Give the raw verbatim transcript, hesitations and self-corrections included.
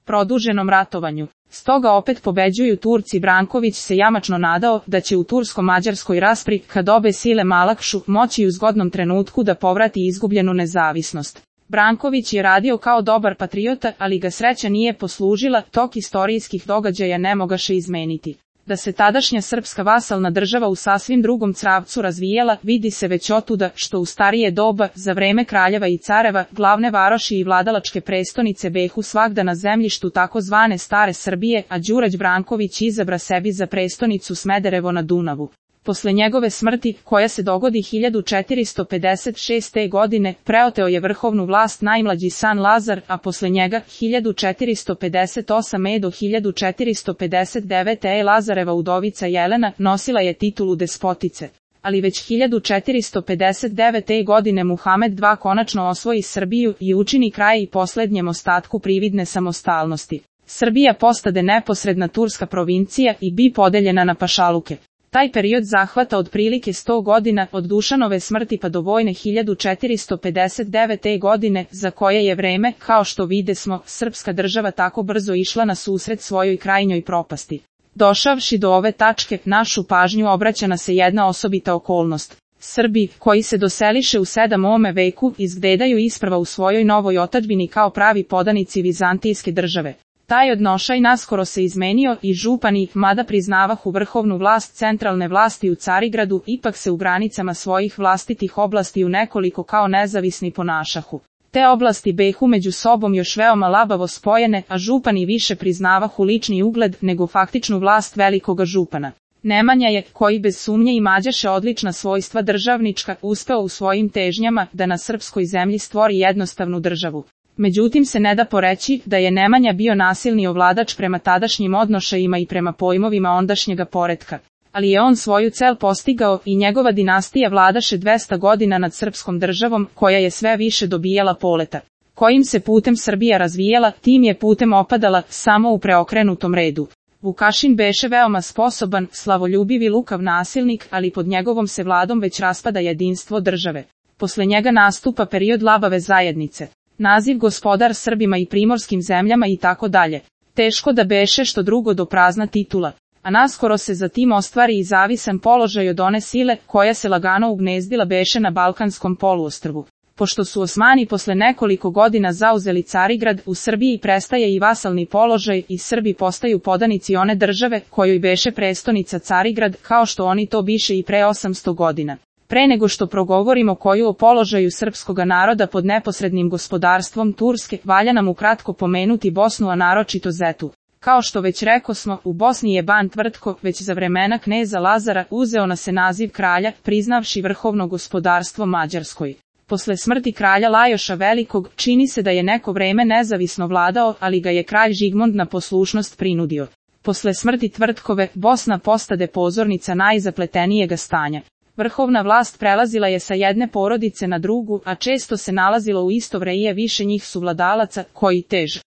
produženom ratovanju. Stoga opet pobeđuju Turci. Branković se jamačno nadao da će u tursko-mađarskoj raspri, kad obe sile malakšu, moći u zgodnom trenutku da povrati izgubljenu nezavisnost. Branković je radio kao dobar patriota, ali ga sreća nije poslužila, tok istorijskih događaja ne mogaše izmeniti. Da se tadašnja srpska vasalna država u sasvim drugom cravcu razvijela, vidi se već otuda što u starije doba, za vreme kraljeva i careva, glavne varoši i vladalačke prestonice behu svagda na zemljištu takozvane stare Srbije, a Đurđ Branković izabra sebi za prestonicu Smederevo na Dunavu. Posle njegove smrti, koja se dogodi hiljadu četiristo pedeset šeste. godine, preoteo je vrhovnu vlast najmlađi san Lazar, a posle njega, hiljadu četiristo pedeset osme. do hiljadu četiristo pedeset devete. Lazareva udovica Jelena nosila je titulu despotice. Ali već hiljadu četiristo pedeset devete. godine Muhamed drugi konačno osvoji Srbiju i učini kraj i poslednjem ostatku prividne samostalnosti. Srbija postade neposredna turska provincija i bi podeljena na pašaluke. Taj period zahvata otprilike sto godina, od Dušanove smrti pa do vojne hiljadu četiristo pedeset devete. godine, za koje je vreme, kao što videsmo, srpska država tako brzo išla na susret svojoj krajnjoj propasti. Došavši do ove tačke, našu pažnju obraća na se jedna osobita okolnost. Srbi, koji se doseliše u sedmom veku, izgledaju isprva u svojoj novoj otadžbini kao pravi podanici vizantijske države. Taj odnošaj naskoro se izmenio i župani, mada priznavahu vrhovnu vlast centralne vlasti u Carigradu, ipak se u granicama svojih vlastitih oblasti u nekoliko kao nezavisni ponašahu. Te oblasti behu među sobom još veoma labavo spojene, a župani više priznavahu lični ugled nego faktičnu vlast velikoga župana. Nemanja je, koji bez sumnje imađaše odlična svojstva državnička, uspeo u svojim težnjama da na srpskoj zemlji stvori jednostavnu državu. Međutim se ne da poreći da je Nemanja bio nasilni ovladač prema tadašnjim odnošajima i prema pojmovima ondašnjega poretka. Ali je on svoju cel postigao i njegova dinastija vladaše dvesta godina nad srpskom državom, koja je sve više dobijala poleta. Kojim se putem Srbija razvijala, tim je putem opadala, samo u preokrenutom redu. Vukašin beše veoma sposoban, slavoljubiv i lukav nasilnik, ali pod njegovom se vladom već raspada jedinstvo države. Posle njega nastupa period labave zajednice. Naziv gospodar Srbima i primorskim zemljama i tako dalje. Teško da beše što drugo do prazna titula. A naskoro se za tim ostvari i zavisan položaj od one sile, koja se lagano ugnezdila beše na Balkanskom poluostrvu. Pošto su Osmani posle nekoliko godina zauzeli Carigrad, u Srbiji prestaje i vasalni položaj i Srbi postaju podanici one države, kojoj beše prestonica Carigrad, kao što oni to biše i pre osamsto godina. Pre nego što progovorimo koju o položaju srpskoga naroda pod neposrednim gospodarstvom Turske, valja nam ukratko pomenuti Bosnu, a naročito Zetu. Kao što već rekosmo, u Bosni je ban Tvrtko, već za vremena kneza Lazara, uzeo na se naziv kralja, priznavši vrhovno gospodarstvo Mađarskoj. Posle smrti kralja Lajoša Velikog, čini se da je neko vreme nezavisno vladao, ali ga je kralj Žigmund na poslušnost prinudio. Posle smrti Tvrtkove, Bosna postade pozornica najzapletenijega stanja. Vrhovna vlast prelazila je sa jedne porodice na drugu, a često se nalazilo u isto vreje više njih suvladalaca, koji tež